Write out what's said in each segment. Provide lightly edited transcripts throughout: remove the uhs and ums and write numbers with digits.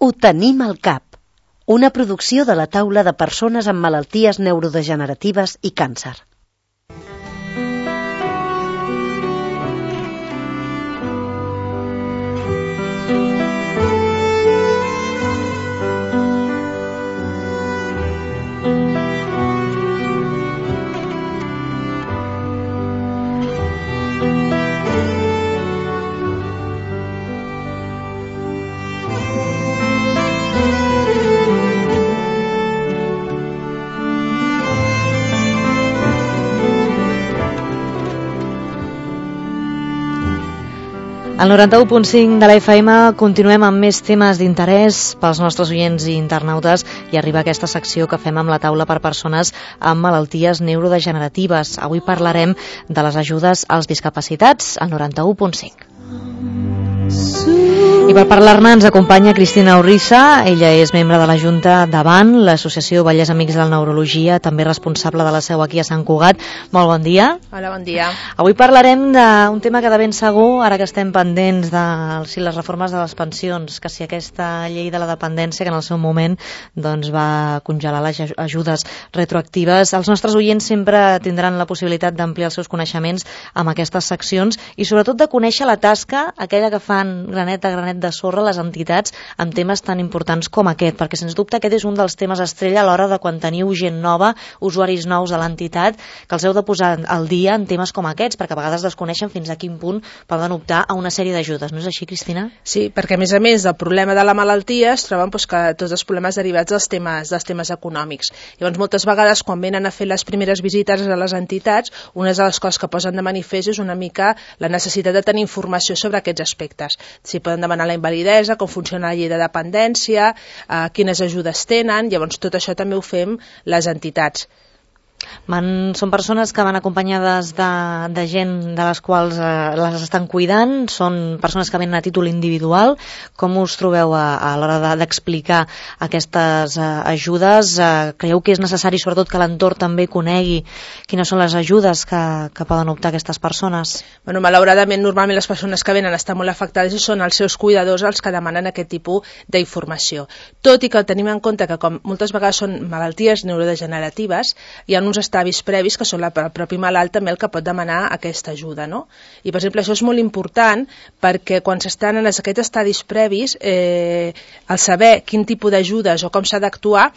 Ho tenim al cap. Una producció de la taula de persones amb malalties neurodegeneratives i càncer. Al 91.5 de la FM continuem amb més temes d'interès pels nostres oients i internautes i arriba aquesta secció que fem amb la taula per persones amb malalties neurodegeneratives. Avui parlarem de les ajudes als discapacitats al 91.5. I per parlar-ne ens acompanya Cristina Urrissa. Ella és membre de la Junta d'Avant, l'Associació Vallès Amics de la Neurologia, també responsable de la seu aquí a Sant Cugat. Molt bon dia. Hola, bon dia. Avui parlarem d'un tema que de ben segur, ara que estem pendents de les reformes de les pensions, que si aquesta llei de la dependència que en el seu moment doncs, va congelar les ajudes retroactives, els nostres oients sempre tindran la possibilitat d'ampliar els seus coneixements amb aquestes seccions i sobretot de conèixer la tasca, aquella que fan granet a granet de sorra les entitats amb temes tan importants com aquest, perquè sens dubte aquest és un dels temes estrella a l'hora de quan teniu gent nova, usuaris nous a l'entitat, que els heu de posar al dia en temes com aquests, perquè a vegades desconeixen fins a quin punt poden optar a una sèrie d'ajudes. No és així, Cristina? Sí, perquè a més del problema de la malaltia es troben que tots els problemes derivats dels temes econòmics. Llavors, moltes vegades, quan venen a fer les primeres visites a les entitats, una de les coses que posen de manifest és una mica la necessitat de tenir informació sobre aquests aspectes. Si poden demanar la invalidesa, com funciona la llei de dependència, quines ajudes tenen, llavors tot això també ho fem les entitats. Són persones que van acompanyades de gent de les quals les estan cuidant, són persones que venen a títol individual. Com us trobeu a l'hora d'explicar aquestes ajudes? Creieu que és necessari sobretot que l'entorn també conegui quines són les ajudes que poden optar aquestes persones? Bueno, malauradament, normalment les persones que venen estan molt afectades i són els seus cuidadors els que demanen aquest tipus d'informació. Tot i que tenim en compte que com moltes vegades són malalties neurodegeneratives, hi ha uns estabis previs que són el propi malalt també el que pot demanar aquesta ajuda, no? I per exemple això és molt important perquè quan s'estan en aquests estadis previs el saber quin tipus d'ajudes o com s'ha d'actuar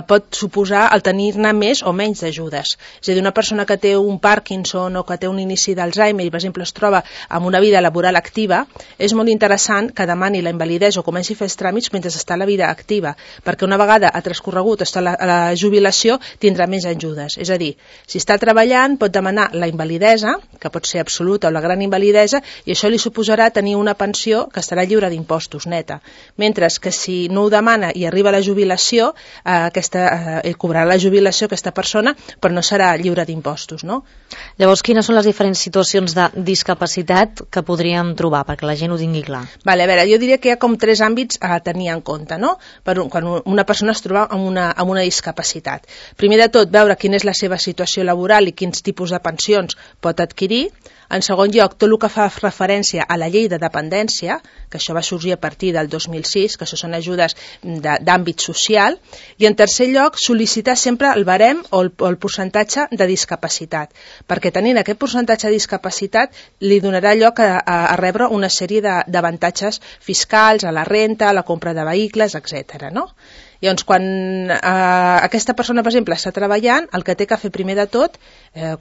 pot suposar el tenir-ne més o menys d'ajudes. És a dir, una persona que té un Parkinson o que té un inici d'Alzheimer i per exemple es troba amb una vida laboral activa, és molt interessant que demani la invalidesa o comenci a fer els tràmits mentre està a la vida activa, perquè una vegada ha transcorregut a la jubilació tindrà més ajudes. És a dir, si està treballant pot demanar la invalidesa, que pot ser absoluta o la gran invalidesa, i això li suposarà tenir una pensió que estarà lliure d'impostos, neta. Mentre que si no ho demana i arriba a la jubilació, cobrarà la jubilació aquesta persona, però no serà lliure d'impostos, no? Llavors, quines són les diferents situacions de discapacitat que podríem trobar, perquè la gent ho tingui clar? Vale, a veure, jo diria que hi ha com 3 àmbits a tenir en compte, no? Quan una persona es troba amb una discapacitat. Primer de tot, veure quina és la seva situació laboral i quins tipus de pensions pot adquirir. En segon lloc, tot el que fa referència a la llei de dependència, que això va sorgir a partir del 2006, que això són ajudes d'àmbit social. I en tercer lloc, sol·licitar sempre el barem o el percentatge de discapacitat, perquè tenint aquest percentatge de discapacitat li donarà lloc a rebre una sèrie d'avantatges fiscals, a la renta, a la compra de vehicles, etc. no? Llavors, quan aquesta persona, per exemple, està treballant, el que té que fer primer de tot,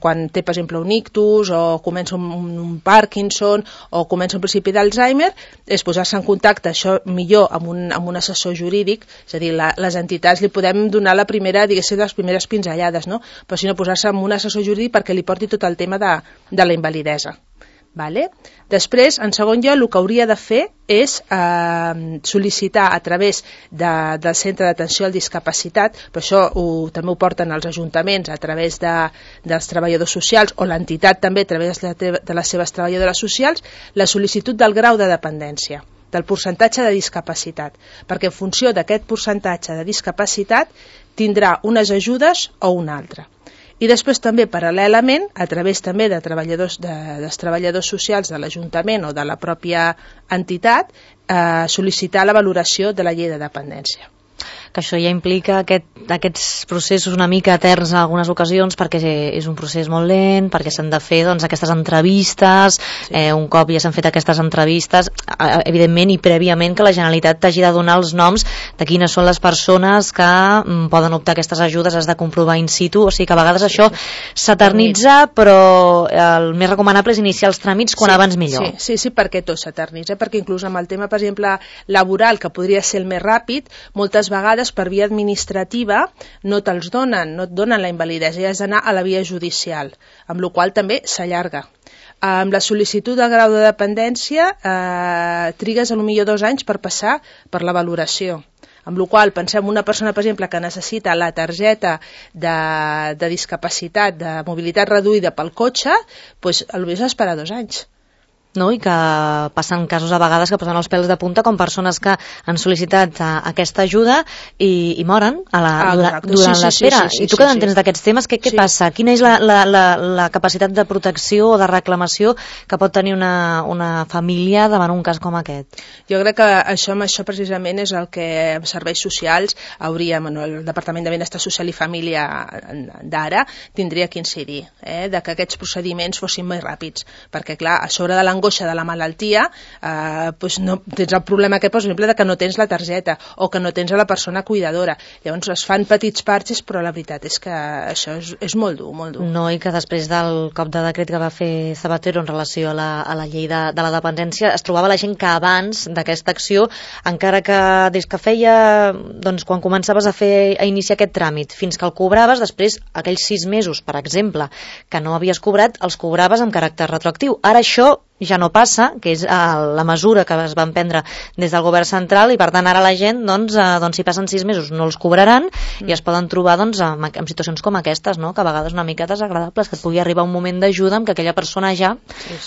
quan té, per exemple, un ictus o comença un Parkinson o comença un principi d'Alzheimer, és posar-se en contacte, això millor, amb un assessor jurídic, és a dir, les entitats li podem donar la primera, diguéssim, les primeres pinzellades, no? Però si no, posar-se amb un assessor jurídic perquè li porti tot el tema de la invalidesa. Vale? Després, en segon lloc, el que hauria de fer és sol·licitar a través del centre d'atenció a la discapacitat, però això també ho porten els ajuntaments a través dels treballadors socials o l'entitat també a través de les seves treballadores socials, la sol·licitud del grau de dependència, del percentatge de discapacitat, perquè en funció d'aquest percentatge de discapacitat tindrà unes ajudes o una altra. I després també, paral·lelament, a través també de dels treballadors socials de l'Ajuntament o de la pròpia entitat, sol·licitar la valoració de la llei de dependència. Que això ja implica aquests processos una mica eterns en algunes ocasions, perquè és un procés molt lent, perquè s'han de fer aquestes entrevistes, un cop ja s'han fet aquestes entrevistes, evidentment i prèviament que la Generalitat t'hagi de donar els noms de quines són les persones que poden optar a aquestes ajudes, has de comprovar in situ, o sigui que a vegades això s'eternitza, però el més recomanable és iniciar els tràmits quan abans millor. Sí, perquè tot s'eternitza, perquè inclús amb el tema, per exemple, laboral, que podria ser el més ràpid, moltes vegades per via administrativa no te'ls donen, no et donen la invalidesa i has d'anar a la via judicial, amb la qual també s'allarga. Amb la sol·licitud de grau de dependència trigues potser 2 anys per passar per la valoració. Amb la qual pensem una persona, per exemple, que necessita la targeta de discapacitat, de mobilitat reduïda pel cotxe, doncs potser has d'esperar 2 anys. No? I que passen casos a vegades que posen els pèls de punta com persones que han sol·licitat aquesta ajuda i moren durant l'espera. I tu que n'entens d'aquests temes, què passa? Quina és la capacitat de protecció o de reclamació que pot tenir una família davant un cas com aquest? Jo crec que això precisament és el que en serveis socials hauríem, el Departament de Benestar Social i Família d'ara tindria que incidir, de que aquests procediments fossin més ràpids, perquè clar, a sobre de l'angoixa de la malaltia, no tens el problema aquest, per exemple, de que no tens la targeta o que no tens a la persona cuidadora. Llavors es fan petits parxes, però la veritat és que això és molt dur, molt dur. No, i que després del cop de decret que va fer Zapatero en relació a la llei de la dependència, es trobava la gent que abans d'aquesta acció, encara que des que feia, doncs quan començaves a iniciar aquest tràmit, fins que el cobraves, després aquells 6 mesos, per exemple, que no havies cobrat, els cobraves amb caràcter retroactiu. Ara això ja no passa, que és la mesura que es van prendre des del govern central, i per tant ara la gent, si passen 6 mesos no els cobraran i es poden trobar en situacions com aquestes, no? Que a vegades una mica desagradables, que et pugui arribar un moment d'ajuda en què aquella persona ja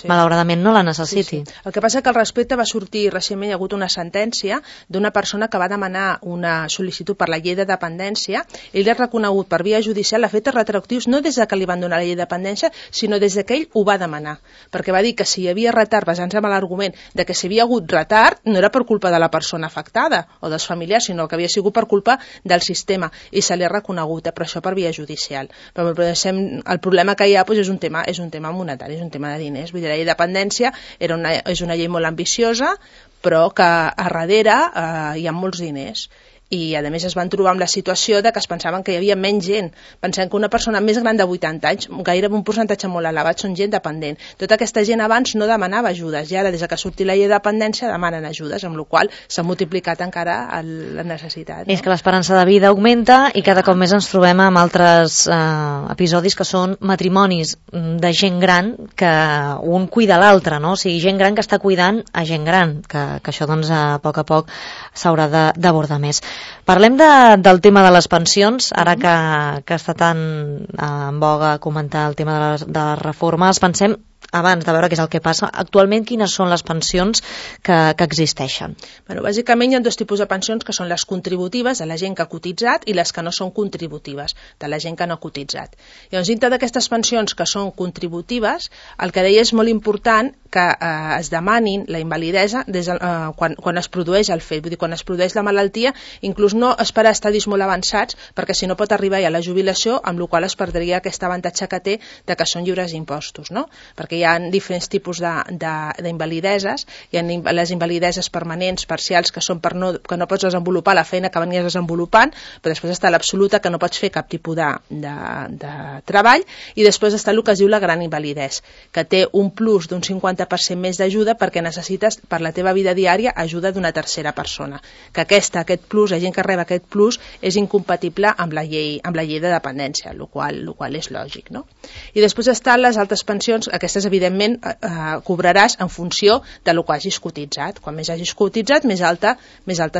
malauradament no la necessiti. El que passa que al respecte va sortir recentment, hi ha hagut una sentència d'una persona que va demanar una sol·licitud per la llei de dependència, ell ha reconegut per via judicial efectes retroactius no des que li van donar la llei de dependència, sinó des que ell ho va demanar, perquè va dir que si hi havia retard, basant-se en l'argument de que si havia hagut retard no era per culpa de la persona afectada o dels familiars, sinó que havia sigut per culpa del sistema, i se li ha reconegut, però això per via judicial. Però el problema que hi ha és un tema monetari, és un tema de diners. Vull dir, la llei de dependència és una llei molt ambiciosa, però que a darrere hi ha molts diners. I a més es van trobar amb la situació de que es pensaven que hi havia menys gent. Pensem que una persona més gran de 80 anys, gairebé un percentatge molt elevat, són gent dependent. Tota aquesta gent abans no demanava ajudes, i ara des que surti la llei de dependència demanen ajudes, amb la qual s'ha multiplicat encara la necessitat. No? És que l'esperança de vida augmenta i cada cop més ens trobem amb altres episodis que són matrimonis de gent gran que un cuida l'altre, no? O sigui, gent gran que està cuidant a gent gran, que això doncs a poc s'haurà d'abordar més. Parlem del tema de les pensions, ara que està tan en boga comentar el tema de les reformes. Pensem, abans de veure què és el que passa, actualment quines són les pensions que existeixen? Bàsicament hi ha 2 tipus de pensions, que són les contributives, de la gent que ha cotitzat, i les que no són contributives, de la gent que no ha cotitzat. Llavors, dintre d'aquestes pensions que són contributives, el que deia és molt important que es demanin la invalidesa quan es produeix el fet, vull dir, quan es produeix la malaltia, inclús no esperar a estadis molt avançats, perquè si no pot arribar ja a la jubilació, amb la qual es perdria aquest avantatge que té de que són lliures d'impostos, no? Perquè hi ha diferents tipus d'invalideses. Hi ha les invalideses permanents, parcials, que són que no pots desenvolupar la feina que venies desenvolupant, però després està l'absoluta, que no pots fer cap tipus de treball, i després està el que es diu la gran invalidesa, que té un plus d'un 50% més d'ajuda perquè necessites per la teva vida diària ajuda d'una tercera persona. Que aquest plus, la gent que rep aquest plus, és incompatible amb la llei de dependència, el qual és lògic, no? I després estan les altres pensions, aquestes aleshores, evidentment, cobraràs en funció de lo que hagis cotitzat. Quan més hagis cotitzat, més alta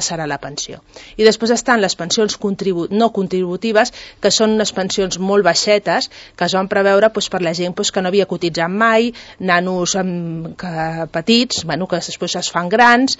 serà la pensió. I després estan les pensions no contributives, que són unes pensions molt baixetes, que es van preveure per la gent que no havia cotitzat mai, nanos petits, que després es fan grans,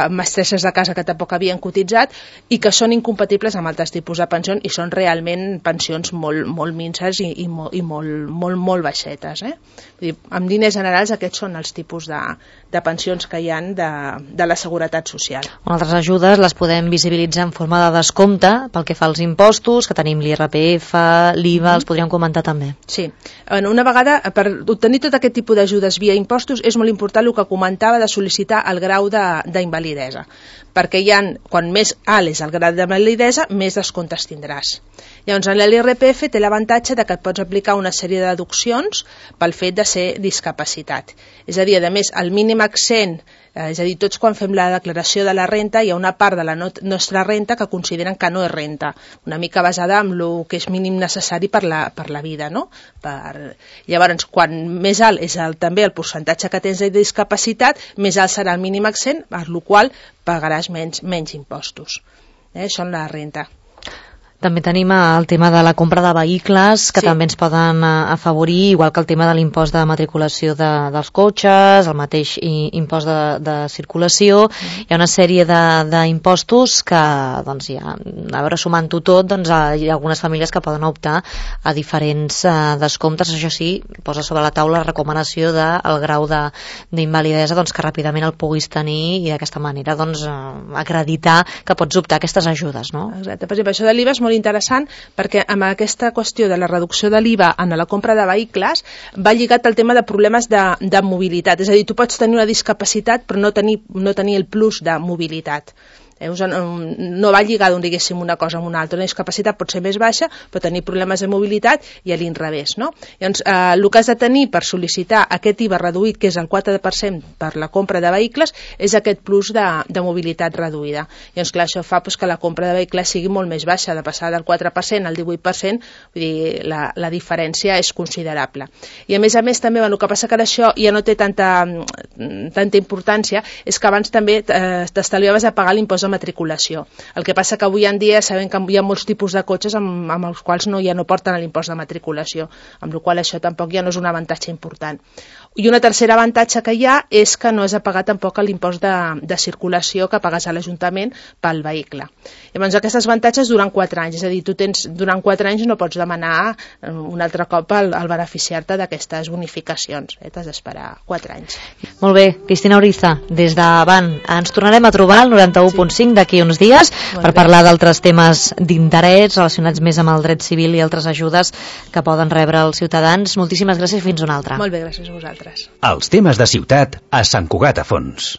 mestresses de casa que tampoc havien cotitzat i que són incompatibles amb altres tipus de pensions i són realment pensions molt minses i molt baixetes. Vull dir, en línies generals aquests són els tipus de pensions que hi ha de la Seguretat Social. Altres ajudes les podem visibilitzar en forma de descompte pel que fa als impostos, que tenim l'IRPF, l'IVA, els podríem comentar també. Sí, una vegada, per obtenir tot aquest tipus d'ajudes via impostos és molt important el que comentava de sol·licitar el grau d'invalidesa, perquè quan més alt és el grau d'invalidesa, més descomptes tindràs. Llavors, l'IRPF té l'avantatge que et pots aplicar una sèrie de deduccions pel fet de ser discapacitat. És a dir, a més, el mínim exempt, és a dir, tots quan fem la declaració de la renta hi ha una part de la nostra renta que consideren que no és renta, una mica basada en el que és mínim necessari per la vida, no? Llavors, quan més alt és també el percentatge que tens de discapacitat, més alt serà el mínim exempt, per la qual pagaràs menys impostos. Això en la renta. També tenim el tema de la compra de vehicles, que també ens poden afavorir, igual que el tema de l'impost de matriculació dels cotxes, el mateix impost de circulació. Hi ha una sèrie d'impostos que, doncs, a veure, sumant-ho tot, doncs, hi ha algunes famílies que poden optar a diferents descomptes. Això sí, posa sobre la taula la recomanació del grau d'invalidesa, doncs, que ràpidament el puguis tenir i d'aquesta manera doncs, acreditar que pots optar a aquestes ajudes, no? Exacte. Per exemple, això de l'IVA és molt interessant perquè amb aquesta qüestió de la reducció de l'IVA en la compra de vehicles va lligat al tema de problemes de mobilitat. És a dir, tu pots tenir una discapacitat però no tenir el plus de mobilitat. No va lligar, diguéssim, una cosa amb una altra. Una discapacitat pot ser més baixa, però tenir problemes de mobilitat i a l'inrevés, no? Llavors, el que has de tenir per sol·licitar aquest IVA reduït, que és el 4% per la compra de vehicles, és aquest plus de mobilitat reduïda. Llavors, clar, això fa que la compra de vehicles sigui molt més baixa, de passar del 4% al 18%, vull dir, la diferència és considerable. I a més, també, el que passa que això ja no té tanta importància, és que abans també t'estalviaves de pagar l'impost de matriculació. El que passa que avui en dia sabem que hi ha molts tipus de cotxes amb els quals ja no porten l'impost de matriculació, amb la qual això tampoc ja no és un avantatge important. I un tercer avantatge que hi ha és que no has de pagar tampoc l'impost de circulació que pagues a l'Ajuntament pel vehicle. Llavors, aquests avantatges duren 4 anys, és a dir, tu durant 4 anys no pots demanar un altre cop al beneficiar-te d'aquestes bonificacions. T'has d'esperar 4 anys. Molt bé, Cristina Uriza, des d'Avant. Ens tornarem a trobar al 91.5 d'aquí uns dies per parlar d'altres temes d'interès relacionats més amb el dret civil i altres ajudes que poden rebre els ciutadans. Moltíssimes gràcies i fins una altra. Molt bé, gràcies a vosaltres. Els temes de ciutat a Sant Cugat a Fons.